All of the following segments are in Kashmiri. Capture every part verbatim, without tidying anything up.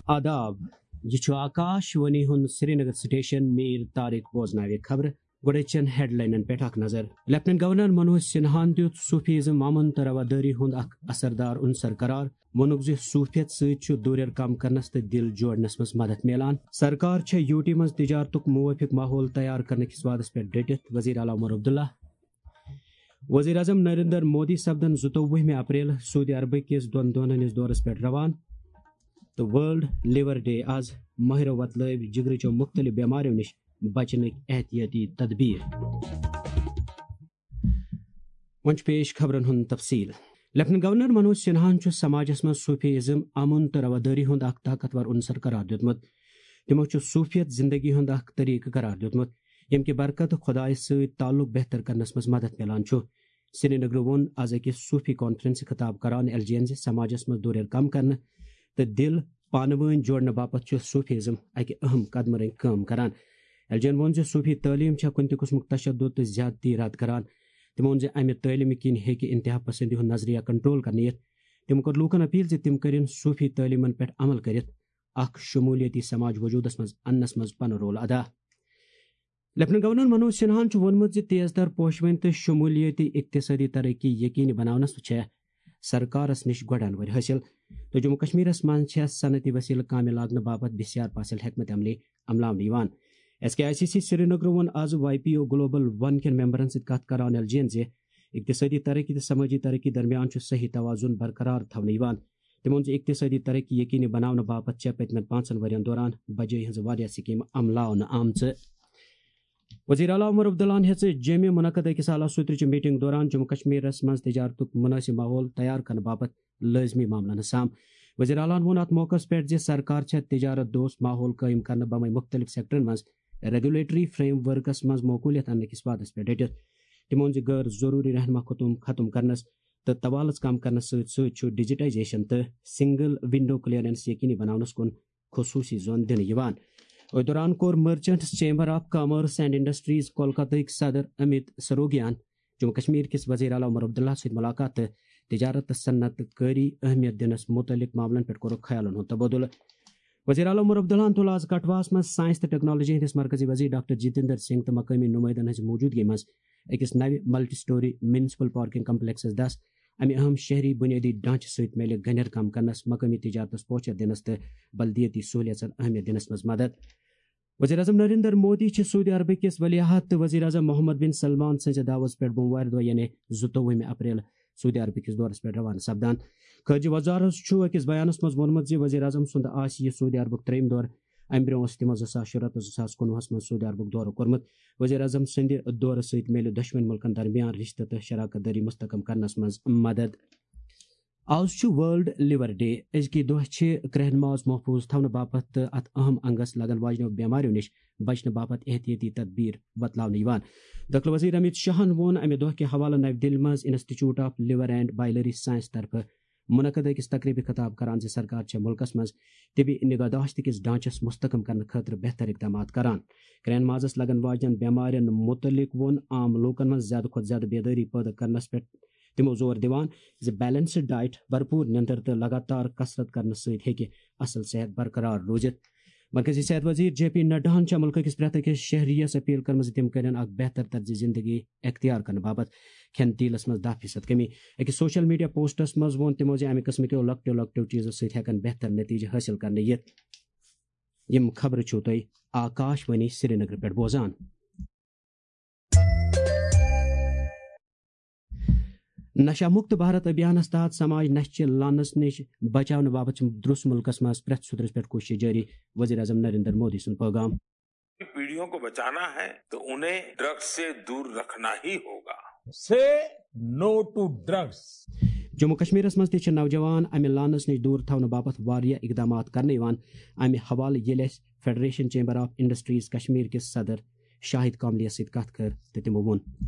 آداب، یہِ چھُ آکاش وانی ہُنٛد سرینگر سٹیشن۔ میٖر طارق بوزناوِ خبرٕ۔ گۄڈٕ چھَن ہیڈلاینن پٮ۪ٹھ اکھ نظر۔ لیفٹیننٹ گورنر منوج سنہاہن دیُت صوفیزم، امن تہٕ روادٲری ہُنٛد اکھ اثردار عنصر قرار۔ ووٚنُکھ زِ صوفیت سۭتۍ چھُ دوٗریر کم کرنس تہٕ دِل جوڑنس منٛز مدد میلان۔ سرکار چھےٚ یوٗ ٹی منٛز تجارتُک موٲفِق ماحول تیار کرنہٕ کِس وعدس پٮ۪ٹھ ڈٔٹِتھ وزیر اعلیٰ عمر عبداللہ۔ وزیر اعظم نریندر مودی سپدن زٕتووُہمہِ اپریل سعودی عربہٕ کِس دۄن دۄہن ہٕنٛدِس دورس پٮ۪ٹھ روانہٕ تہٕ ورلڈ لیور ڈے آز۔ ماہرو وۄتلٲوۍ جگرٕچو مُختٔلِف بٮ۪مارٮ۪و نِش بچنٕکۍ احتیاطی تدبیر۔ وۄنۍ چھُ پیش خبرن ہُنٛد تفصیل۔ لیفٹیننٹ گورنر منوج سنہاہن چھُ سماجس منٛز صوفیزم امن تہٕ روادٲری ہُنٛد اکھ طاقتور عنصر قرار دیُتمُت۔ تِمو چھُ صوفیت زندگی ہُنٛد اکھ طریقہٕ قرار دیُتمُت، ییٚمہِ کہِ برکتہٕ خۄدایس سۭتۍ تعلق بہتر کرنس منٛز مدد میلان چھُ۔ سرینگرٕ ووٚن آز أکِس صوفی کانفرنسہِ خطاب کران ایل جی یَن زِ سماجس منٛز دوٗریر کم کرنہٕ تہٕ دِل پانہٕ وٲنۍ جوڑنہٕ باپتھ چھُ صوفیزم اکہِ اہم قدمہٕ رنگۍ کٲم کران۔ ایل جی یَن ووٚن زِ صوفی تعلیٖم چھےٚ کُنہِ تہِ قٕسمُک تشدد تہٕ زیادتی رد کران۔ تِمو ووٚن زِ امہِ تعلیٖمہِ کِنۍ ہیٚکہِ انتہا پسندی ہُنٛد نظریہ کنٹرول کرنہٕ یِتھ۔ تِمو کٔر لوٗکن اپیل زِ تِم کٔرِن صوفی تعلیٖمن پٮ۪ٹھ عمل کٔرِتھ اکھ شمولیتی سماج وجودس منٛز اننس منٛز پنُن رول ادا۔ لیفٹیننٹ گورنر منوج سنہاہن چھُ ووٚنمُت زِ تیز تر پوشوٕنۍ تہٕ شمولیتی اقتصٲدی ترقی یقینی بناونس چھےٚ سرکارس نِش گۄڈٕ انوٲرۍ حٲصِل تہٕ جموں کشمیرس منٛز چھےٚ صنعتی وسیلہٕ کامہِ لاگنہٕ باپتھ بسیار فاصل حکمت عملی عملاونہٕ یِوان۔ S K I C C سرینگرٕ ووٚن آز Y P O global one کٮ۪ن ممبرن سۭتۍ کتھ کران ایل جی یَن زِ اقتصٲدی ترقی تہٕ سمٲجی ترقی درمیان چھُ صحیح توازن برقرار تھاونہٕ یِوان۔ تِمو ووٚن زِ اقتصٲدی ترقی یقینی بناونہٕ باپتھ چھےٚ پٔتمٮ۪ن پانٛژن ؤرین دوران بجٲے ہٕنٛز واریاہ سکیمہٕ عملاونہٕ آمژٕ۔ وزیر اعلیٰ عمر عبداللہن ہیٚژ جیٚمہِ منعقد أکِس اعلیٰ سوترٕچہِ میٹنگ دوران جموں کشمیرس منٛز تجارتُک مناسب ماحول تیار کرنہٕ باپتھ لٲزمی معاملن ہٕنٛز سام۔ وزیر اعلیٰ ہن ووٚن اتھ موقعس پٮ۪ٹھ زِ سرکار چھےٚ تجارت دوست ماحول قٲیِم کرنہٕ بمے مُختٔلِف سیکٹرن منٛز ریگولیٹری فریم ورکس منٛز معقولیت اننہٕ کِس وعدس پٮ۪ٹھ ڈٔٹِتھ۔ تِمو ووٚن زِ غٲر ضروٗری رہنما خطوٗم ختم کرنس تہٕ طوالژ کم کرنس سۭتۍ سۭتۍ چھُ ڈیجیٹائزیشن تہٕ سنگل ونڈو کلیئرنس یقینی بناونس کُن خصوصی زون دِنہٕ یِوان۔ أتھۍ دوران کوٚر merchants chamber of commerce and industries کولکتہٕکۍ صدر امیت سروگیان جموں کشمیر کِس وزیر اعلیٰ عمر عبداللہ سۭتۍ ملاقات تہٕ تجارت تہٕ صنعت کٲری اہمیت دِنس متعلق معاملن پٮ۪ٹھ کوٚرُکھ خیالن ہُنٛد تبادلہٕ۔ وزیر اعلیٰ عمر عبداللہن تُل آز کٹھواہس منٛز سائنس تہٕ ٹیکنالوجی ہٕنٛدِس مرکزی وزیر ڈاکٹر جتیندر سنگھ تہٕ مقٲمی نمٲیندن ہٕنٛزِ موجودگی منٛز أکِس نوِ multi story municipal parking complexes دس۔ امہِ اہم شہری بنیٲدی ڈھانچہٕ سۭتۍ میلہِ گنٮ۪ر کم کرنس، مقٲمی تجارتس پوچھر دِنس تہٕ بلدیٲتی سہولیژن اہمیت دِنس منٛز مدد۔ وزیر اعظم نریندر مودی چھِ سعودی عربہٕ کِس ولی عہد تہٕ وزیر اعظم محمد بن سلمان سٕنٛزِ دعوت پٮ۪ٹھ بوموارِ دۄہ یعنی زٕتووُہمہِ اپریل سعودی عربہٕ کِس دورس پٮ۪ٹھ روانہٕ سپدان۔ خارجہ وزارت چھُ أکِس بیانس منٛز ووٚنمُت زِ وزیر اعظم سُنٛد آسہِ یہِ سعودی عربُک ترٛیٚیِم دورٕ۔ امہِ برٛونٛہہ اوس تِمو زٕ ساس شُراہ تہٕ زٕ ساس کُنوُہس منٛز سعودی عربُک دورٕ کوٚرمُت۔ وزیر اعظم سٕنٛدِ دورٕ سۭتۍ میلہِ دۄشوٕنۍ مُلکن درمیان رشتہٕ تہٕ شراکت دٲری مستحکم کرنس منٛز مدد۔ آز چھُ ورلڈ لیور ڈے۔ أزکہِ دۄہ چھِ کرٛہن ماز محفوظ تھاونہٕ باپتھ تہٕ اتھ اہم انگس لگن واجنیو بٮ۪ماریو نِش بچنہٕ باپتھ احتیاطی تدبیر وۄتلاونہٕ یِوان۔ دٲخلہٕ وزیر امیت شاہن ووٚن امہِ دۄہ کہِ حوالہٕ نَوِ دِلہِ منٛز institute of liver and biliary science طرفہٕ منعقد أکِس تقریبہِ خطاب کران زِ سرکار چھےٚ مُلکس منٛز طبی نگہداشت کِس ڈھانچس مستحکم کرنہٕ خٲطرٕ بہتر اقدامات کران۔ کرٛہن مازس لگن واجنٮ۪ن بٮ۪مارٮ۪ن مُتعلق ووٚن عام لوٗکن منٛز زیادٕ کھۄتہٕ زیادٕ بیدٲری پٲدٕ کرنس پٮ۪ٹھ تِمو زور دِوان زِ بیلنسڈ ڈائٹ، بھرپور نیندر تہٕ لگاتار کثرت کرنہٕ سۭتۍ ہیٚکہِ اصل صحت برقرار روٗزِتھ۔ مرکزی صحت وزیر جے پی نڈاہن چھےٚ مُلکہٕ کِس پرٛٮ۪تھ أکِس شہریَس اپیل کٔرمٕژ زِ تِم کٔرِن اکھ بہتر طرزِ زندگی اختیار کرنہٕ باپتھ کھٮ۪ن تیٖلس منٛز دَہ فیصد کمی۔ أکِس سوشل میڈیا پوسٹس منٛز ووٚن تِمو زِ امہِ قٕسمٕکیو لۄکٹیو لۄکٹیو چیٖزو سۭتۍ ہٮ۪کن بہتر نتیجہٕ حٲصِل کرنہٕ یِتھ۔ یِم خبرٕ چھِو تُہۍ آکاش وانی سرینگرٕ پٮ۪ٹھ بوزان۔ نشہ مکت بھارت ابھیانس تحت سماج نشہ چہِ لانس نِش بچاونہٕ باپتھ چھِ درُس مُلکس منٛز پرٛٮ۪تھ سُترس پٮ۪ٹھ کوٗشش جٲری، وزیر اعظم نریندر مودی سُنٛد پیغام۔ پڑھیوں کو بچانا ہے تو انہیں ڈرگس سے دور رکھنا ہی ہوگا۔ Say no to drugs. Jammu کشمیرس منٛز تہِ چھِ نوجوان امہِ لانس نِش دوٗر تھاونہٕ باپتھ واریاہ اقدامات کرنہٕ یِوان۔ امہِ حوالہٕ ییٚلہِ اَسہِ federation chamber of industries Kashmir کِس صدر شاہد کاملیَس سۭتۍ کتھ کٔر تہٕ تِمو ووٚن۔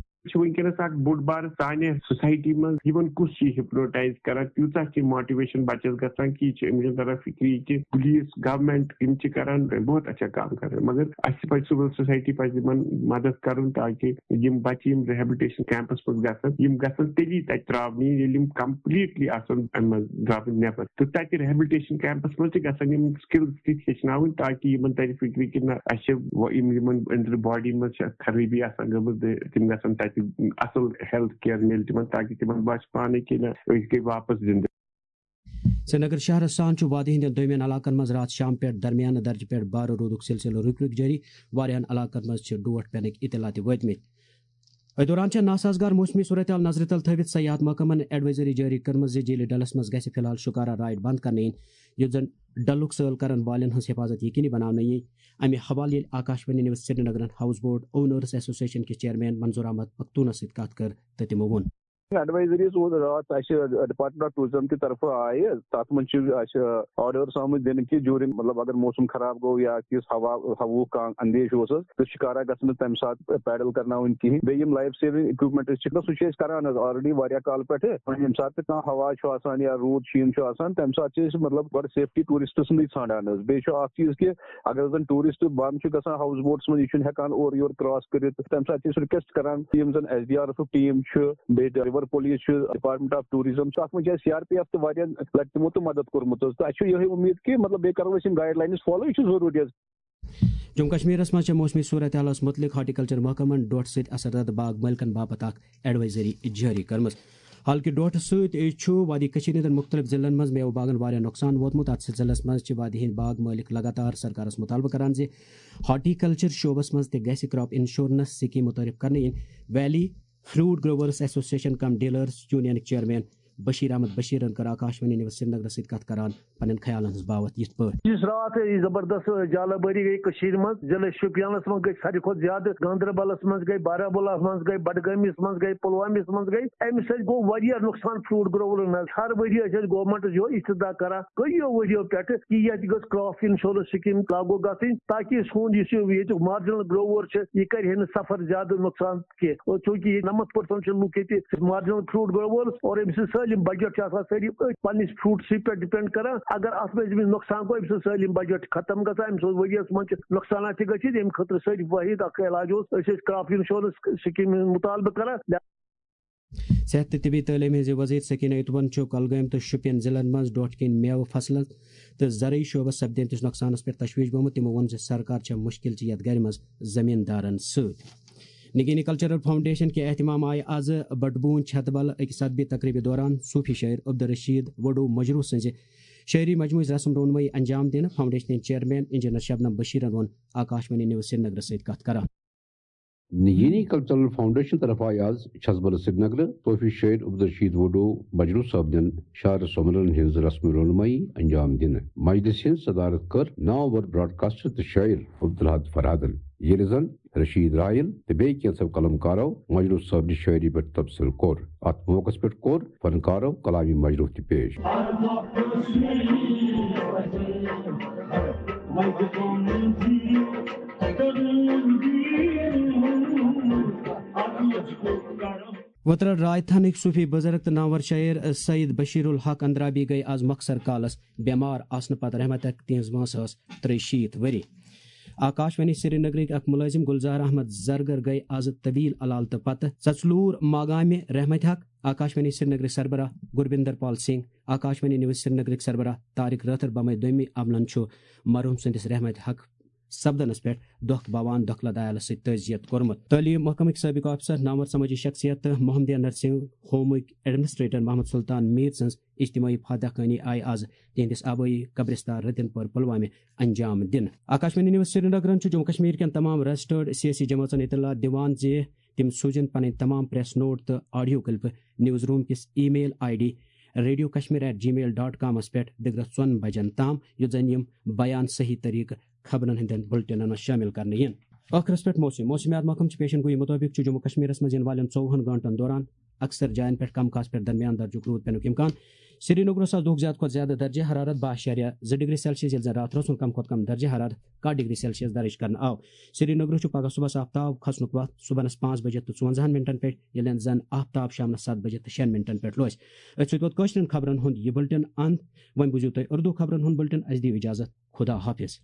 چھُ وٕنکیٚنَس اکھ بوٚڑ بار سانہِ سوسایٹی منٛز، یِمن کُس چھُ ہپنوٹائز کران، تیوٗژاہ چھِ موٹیویشن بچس گژھان کہِ یہِ چھُ أمِس چھُنہٕ تران فِکری کہِ پولیس، گورنمنٹ، یِم چھِ کران بہت اچھا کام کران، مگر اَسہِ پزِ سول سوسایٹی پزِ یِمن مدد کرُن تاکہِ یِم بچہِ یِم ریہیبلٹیشن کیمپس منٛز گژھن، یِم گژھن تیٚلی تتہِ تراونہٕ یِنۍ ییٚلہِ یِم کمپلیٹلی آسن امہِ منٛز درامٕتۍ نٮ۪بر۔ تہٕ تتہِ ریہیبلٹیشن کیمپس منٛز تہِ گژھن یِم سکلز تہِ ہیٚچھناوٕنۍ تاکہِ یِمن ترِ فِکرِ کہِ نہ، اَسہِ چھِ و-، یِم یِمن أنٛدرٕ باڈی منٛز چھِ خرٲبی آسان گٔمٕژ، تہٕ تِم گژھن تتہِ اصل ہیلتھ کیئر مِلہِ تِمن تاکہِ تِمن باسہِ پانے کہِ نہ، أسۍ گٔے واپس زندٕ۔ سرینگر شہرس سان چھُ وادی ہٕنٛدٮ۪ن دوٚیمٮ۪ن علاقن منٛز راتھ شام پٮ۪ٹھ درمیانہٕ درجہٕ پٮ۪ٹھ بارٕ روٗدُک سلسلہٕ رُکۍ رُکۍ جٲری۔ واریاہن علاقن منٛز چھِ ڈوٹھ پٮ۪نٕکۍ اطلاع تہِ وٲتمٕتۍ۔ أتھۍ دوران چھےٚ ناسازگار موسمی صورتحال نظرِ تل تھٲوِتھ سیاحت محکمن ایڈوائزری جٲری کٔرمٕژ زِ جھیلِ ڈلس منٛز گژھِ فی الحال شکارا رائیڈ بند کرنہٕ یِنۍ، یُتھ زن ڈلُک سٲل کرن والٮ۪ن ہٕنٛز حفاظت یقینی بناونہٕ یِنۍ۔ امہِ حوالہٕ ییٚلہِ آکاشوانی نیوز سرینگرن ہاؤس بوٹ اونرز ایسوسیشن کِس چیئرمین منظور احمد پختونس سۭتۍ کتھ کٔر تہٕ تِمو ووٚن۔ ایڈوائزریز اوس راتھ اَسہِ ڈپارٹمنٹ آف ٹورازم کہِ طرفہٕ آیہِ، تَتھ منٛز چھِ اَسہِ آرڈرس آمٕتۍ دِنہٕ کہِ جوٗرِنگ، مطلب، اگر موسم خراب گوٚو یا کِس ہوا، ہوہُک کانٛہہ اندیشہٕ اوس حظ، تہٕ شِکارا گژھِ نہٕ تَمہِ ساتہٕ پیڈل کرناوٕنۍ کِہیٖنۍ۔ بیٚیہِ یِم لایف سیونگ اِکوپمنٹس چھِ، سُہ چھِ أسۍ کران حظ آلریڈی واریاہ کالہٕ پٮ۪ٹھٕ۔ وۄنۍ ییٚمہِ ساتہٕ تہِ کانٛہہ ہوا چھُ آسان یا روٗد شیٖن چھُ آسان، تَمہِ ساتہٕ چھِ أسۍ، مطلب، گۄڈٕ سیفٹی ٹوٗرسٹہٕ سٕنٛدٕے ژھانڈان حظ۔ بیٚیہِ چھُ اکھ چیٖز کہِ اگر زَن ٹوٗرسٹ بنٛد چھُ گژھان ہاؤس بوٹس منٛز، یہِ چھُنہٕ ہٮ۪کان اورٕ یورٕ کراس کٔرِتھ، تَمہِ ساتہٕ چھِ أسۍ رِکویسٹ کران یِم زَن S D R F team چھِ، بیٚیہِ رِور پولیس چھِ، ڈپارٹمنٹ آف ٹوٗرزم چھُ، اَتھ منٛز چھِ اَسہِ سی آر پی ایف تہٕ واریاہ لَٹہِ تِمو تہٕ مدد کوٚرمُت حظ۔ تہٕ اَسہِ چھُ یِہوٚے اُمید کہِ، مطلب، بیٚیہِ کرو أسۍ یِم گایڈ لاینٕز فالو، یہِ چھُ ضروٗری حظ۔ جموں کشمیرس منٛز چھےٚ موسمی صورتحالس مُتعلق ہارٹیکلچر محکمن ڈوٹھ سۭتۍ اثرزدٕ باغ مٲلکن باپتھ اکھ ایڈوائزری جٲری کٔرمٕژ۔ حالکہِ ڈوٹھ سۭتۍ چھُ وادی کٔشیٖر ہٕنٛدٮ۪ن مُختٔلِف ضلعن منٛز میوٕ باغن واریاہ نۄقصان ووتمُت۔ اتھ سلسلس منٛز چھِ وادی ہٕنٛدۍ باغ مٲلک لگاتار سرکارس مُطالبہٕ کران زِ ہارٹیکلچر شعبس منٛز تہِ گژھِ کراپ انشورنس سکیٖم متعارف کرنہٕ یِنۍ۔ ویلی فروٹ گروورز ایسوسیشن کم ڈیلرز یونینٕکۍ چیئرمین بشیر احمد بشیرن کٔر آکاشوانی نیوز سرینگرس سۭتۍ کتھ کران پننٮ۪ن خیالن ہٕنٛز باوتھ یتھ پٲٹھۍ۔ یُس راتھ یہِ زبردست جالہ بٲری گٔے کٔشیٖرِ منٛز، ضلع شوپینس منٛز گٔے ساروی کھۄتہٕ زیادٕ، گاندربلس منٛز گٔے، بارہمولہس منٛز گٔے، بڈگٲمِس منٛز گٔے، پلوٲمِس منٛز گٔے، اَمہِ سۭتۍ گوٚو واریاہ نۄقصان فروٹ گروورن حظ۔ ہر ؤری ٲسۍ أسۍ گورمنٹس یِہوٚے استدعا کران کٔہیو ؤریو پٮ۪ٹھٕ کہِ ییٚتہِ گٔژھ کراپ انشورنس سکیٖم لاگو گژھٕنۍ، تاکہِ سون یُس یہِ ییٚتیُک مارجنل گروور چھُ، یہِ کرِ ہے نہٕ سفر زیادٕ نۄقصان کینٛہہ۔ اور چوٗنٛکہِ ییٚتہِ نَمَتھ پٔرسَنٛٹ چھِ لُکھ ییٚتہِ مارجنل فروٹ گروورز، اور أمۍ سٕنٛز سٲلِم بجٹ چھِ آسان سٲری أتھۍ پننِس فروٹسٕے پٮ۪ٹھ ڈِپینڈ کران۔ اگر اَتھ منٛز أمِس نۄقصان گوٚو، أمۍ سٕنٛز سٲلِم بجٹ چھِ ختم گژھان، أمۍ سٕنٛز ؤریَس منٛز چھِ نۄقصانات تہِ گٔژھِتھ۔ ییٚمہِ خٲطرٕ سٲری وٲحد اکھ علاج اوس، أسۍ ٲسۍ کراپ انشورنس سکیٖم ہُنٛد مطالبہٕ کران۔ صحت تہٕ طبی تعلیٖم ہٕنٛزِ وزیر سکینہ اتوَن چھُ کۄلگٲمۍ تہٕ شُپین ضلعن منٛز ڈوٹھ کِنۍ میوٕ فصلن تہٕ زرعی شعبس سپدیمتِس نۄقصانس پٮ۪ٹھ تشویش گوٚمُت۔ تِمو ووٚن زِ سرکار چھےٚ مُشکل چہِ یتھ گرِ منٛز زمیٖندارن سۭتۍ۔ نگینی کلچرل فاؤنڈیشن کہِ اہتمام آیہِ آز بٹبوٗن چھتبل أکِس ادبی تقریبہِ دوران صوفی شٲعر عبدالرشید وڈو مجروح سٕنٛزِ شٲعری مجموعٕچ رسم رونمٲیی انجام دِنہٕ۔ فاؤنڈیشنٕچ چیئرمین انجینئر شبنم بشیرن ووٚن آکاشوانی نیوز سرینگرس سۭتۍ کتھ کران۔ نگینی کلچرل فاؤنڈیشن طرفہٕ آیہِ آز چھتبل سرینگر صوفی شٲعر عبدالرشید وڈو مجروح صٲبنٮ۪ن شاعر سومرن ہٕنٛز رسم رونمٲیی انجام دِنہٕ۔ مجلسہِ ہٕنٛز صدارت کٔر نامور براڈکاسٹر تہٕ شٲعر عبدالحد فرہادن، ییٚلہِ زن رشید راحیل تہٕ بیٚیہِ کینٛژھو قلم کارو مجروح صٲبنہِ شٲعری پٮ۪ٹھ تبصرٕ کوٚر۔ اتھ موقعس پٮ۪ٹھ کوٚر فنکارو کلامی مجروح تہِ پیش۔ وترڑ رائے تھنٕکۍ صوفی بزرگ تہٕ نامور شاعر سید بشیر الحق اندرابی گٔے آز مۄخصر کالس بٮ۪مار آسنہٕ پتہٕ رحمتک۔ تِہنٛز وٲنٛس ٲس ترٛیہِ شیٖتھ ؤری۔ آکاشوانی سرینگرٕکۍ اکھ مُلٲزِم گُلزار احمد زرگر گٔے آز طویل علالتہٕ پتہٕ ژژلوٗر ماگامہِ رحمتِ حق۔ آکاشوانی سرینگرٕکۍ سربراہ گُربِندر پال سنگھ، آکاشوانی نیوز سرینگرٕکۍ سربراہ طارق رٲتھر بمے دوٚیمہِ عملن چھُ مرحوٗم سٕنٛدِس رحمتِ حق سپدنس پٮ۪ٹھ دۄکھ باوان دۄکھلہٕ دیالس سۭتۍ تعزیت کوٚرمُت۔ تعلیٖم محکمٕکۍ سٲبقہٕ آفیسر، نامور سمٲجی شخصیت تہٕ محمدیہ نرسنگ ہومٕکۍ ایڈمنسٹریٹر محمد سلطان میٖر سٕنٛز اجتماعی فاتح کٲنی آیہِ آز تِہنٛدِس آبٲیی قبرستان رتن پور پلوامہِ انجام دِنہٕ۔ آکاشوانی نیوز سرینگرن چھُ جموں کشمیر کٮ۪ن تمام رجسٹرڈ سیٲسی جمٲژن اطلاع دِوان زِ تِم سوٗزِن پنٕنۍ تمام پریس نوٹ تہٕ آڈیو کلپہٕ نیوز روم کِس email I D radio Kashmir at Gmail dot کامس پٮ۪ٹھ دِگرس ژۄن بجن تام، یُتھ زن یِم بیان صحیح طریقہٕ خبرن ہٕنٛدٮ۪ن بُلٹنن منٛز شٲمِل کرنہٕ یِن۔ ٲخرس پٮ۪ٹھ موسم۔ موسمیات محکمہٕ چہِ پیشن گویی مُطٲبِق چھُ جموں کشمیرس منٛز یِنہٕ والٮ۪ن ژووُہن گٲنٛٹن دوران اکثر جاین پٮ۪ٹھ کم کھاس پٮ۪ٹھ درمیان درجُک روٗد پینُک امکان۔ سرینگرس آسہِ دۄہُک زیادٕ کھۄتہٕ زیادٕ درجہ حرارت باہ اعشاریہ زٕ ڈگری سیلسیس، ییٚلہِ زن راتھ رٲژ ہُنٛد کم کھۄتہٕ کم درجہ حرارت کاہ ڈگری سیلسیس درج کرنہٕ آو۔ سرینگرس چھُ پگہہ صبحس آفتاب کھسنُک وقت صبحنس پانٛژھ بجے تہٕ ژُوَنزاہن منٹن پٮ۪ٹھ، ییٚلہِ زن آفتاب شامنس ستھ بجے تہٕ شیٚن منٹن پٮ۪ٹھ روزِ۔ أتھۍ سۭتۍ ووت کٲشرٮ۪ن خبرن ہُنٛد یہِ بُلٹن اند۔ وۄنۍ بوٗزِو تُہۍ اردو خبرن ہُنٛد بُلٹن۔ اسہِ دِیِو اجازت۔ خدا حافظ۔